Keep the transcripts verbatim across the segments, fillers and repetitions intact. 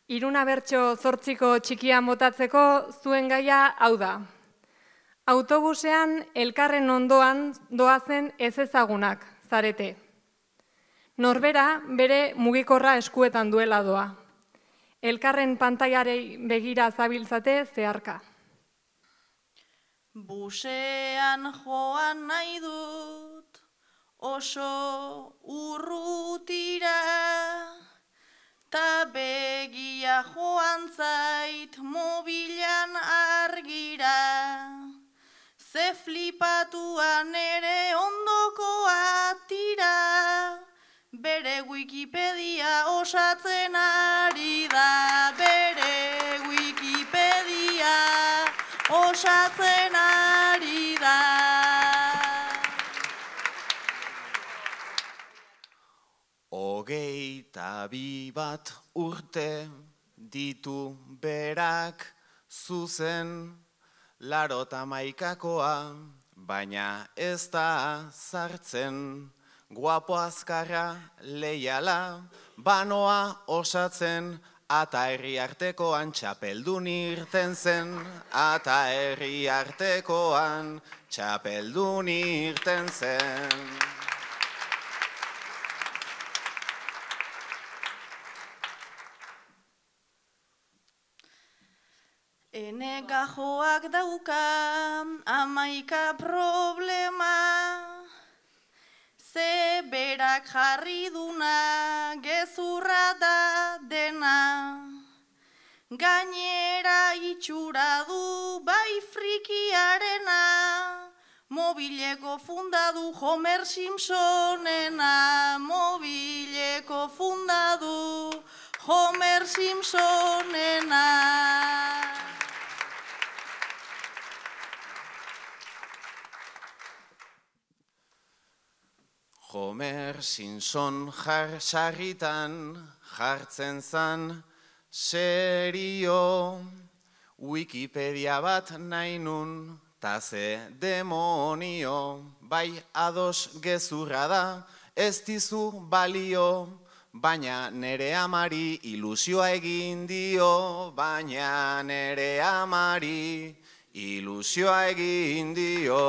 Iruna bertso zortziko txikia motatzeko zuen gaia hau da. Autobusean elkarren ondoan doazen ezezagunak zarete. Norbera bere mugikorra eskuetan duela doa. Elkarren pantailarei begira zabiltzate zeharka. Busean joan nahi dut oso urrutira, ta begia joan zait mobilan argira. Ze flipatuan ere ondokoa tira, bere Wikipedia osatzen ari da, bere Wikipedia osatzen ari da. Hogeita bi bat urte ditu berak zuzen, larota maikakoa, baina ez da zartzen. Guapo azkarra leiala, banoa osatzen, ata herri artekoan txapeldun irten zen. Ata herri artekoan txapeldun irten zen. Ene gajoak dauka amaika problema, ze berak jarri duna gezurra da dena. Gainera itxura du bai frikiarena, mobileko fundadu Homer Simpsonena, mobileko fundadu Homer Simpsonena. Homer Simpson jar sarritan jartzen zan serio, Wikipedia bat nahi nun, ta ze demonio, bai ados gezurra da, ez dizu balio, baina nere amari ilusioa egin dio, baina nere amari ilusioa egin dio.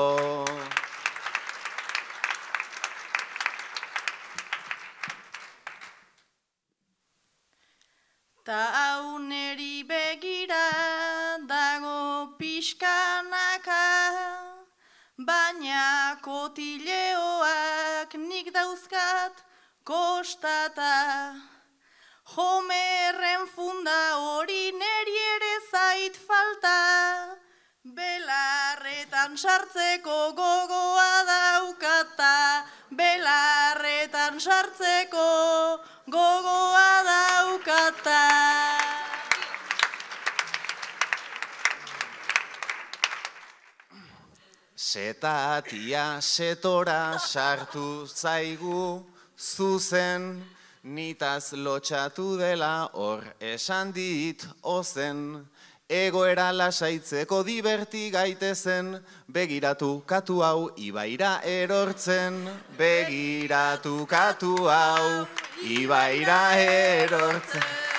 Ta hau neri begira dago pixkanaka, baina kotileoak nik dauzkat kostata. Homerren funda hori neri ere zait falta, belarretan sartzeko gogoa daukata, belarretan sartzeko gogoa daukata. Setatia setora sartu zaigu zuzen, nitaz lotxatu dela hor esan dit ozen. Egoera lasaitzeko diverti gaitezen, begiratu katu hau ibaira erortzen. Begiratu katu hau ibaira erortzen.